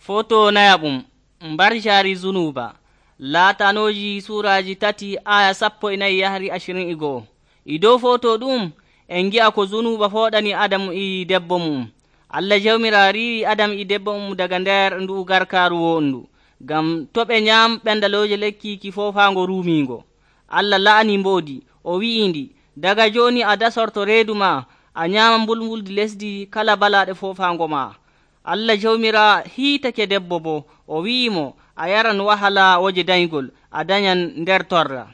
Foto nayaɓum mbarjaari zunuba laatanoji suraji 3 aya 14 yahri 21. E dow foto ɗum en ngi'a ko zunuba fooɗani Adamu e debbo mum. Allah jawmira riiwi Adam e debbo mum daga nder ndu garkaaru wondu ngam to ɓe nyam ɓendalooje lekki ki foofaango ruumiingo. Allah la'ani mboodi o wi'indi, daga jooni a dasorto reedu ma a nyaama mbulmbuldi lesdi kala balaaɗe foofaango ma. Allah jawmira hiitake debbo bo o wi'imo a yaran wahala woje dayngol a dañan nder torra.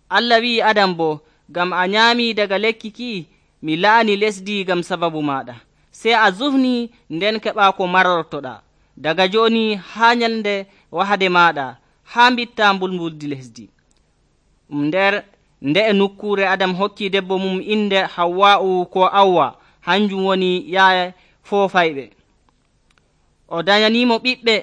Allah wi'i Adam bo, ngam a nyaami daga lekki ki mi la'ani lesdi ngam sababu maɗa, sey a zufni nden keɓa ko marortoɗa. Daga jooni haa nyalnde wahade maɗa haa mbitta mbulmbuldi lesdi. Nde e nokkuure Adam hokki debbo mum inde Hawwa'u ko Awwa, hanjum woni yaaye foofayɓe. O dañanimo ɓiɓɓe,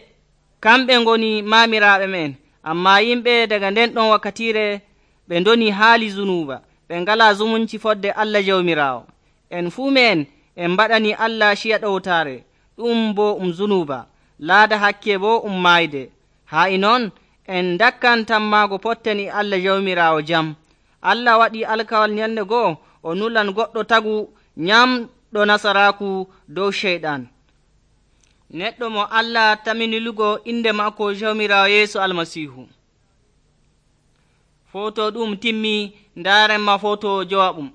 kamɓe ngoni maamiraaɓe men. Ammaa yimɓe daga nden ɗon wakkatire ɓe ndoni haali zunuba, ɓe ngalaa zumunci fodde Allah jawmiraawo. En fuu men en mbaɗani Allah ciya ɗowtaare, ɗum bo zunuba, laada hakke bo maayde. Haa e noon en dakkan tammaago potten e Allah jawmiraawo jam. Allah waɗi alkawal nyalnde goo o nulan goɗɗo tagu nyamɗo nasaraaku dow ceyɗan. Neɗɗo mo Allah taminilugo inde maako jawmiraawo Yeesu Almasiihu. Foto ɗum timmi, ndaaren ma foto jowaɓum.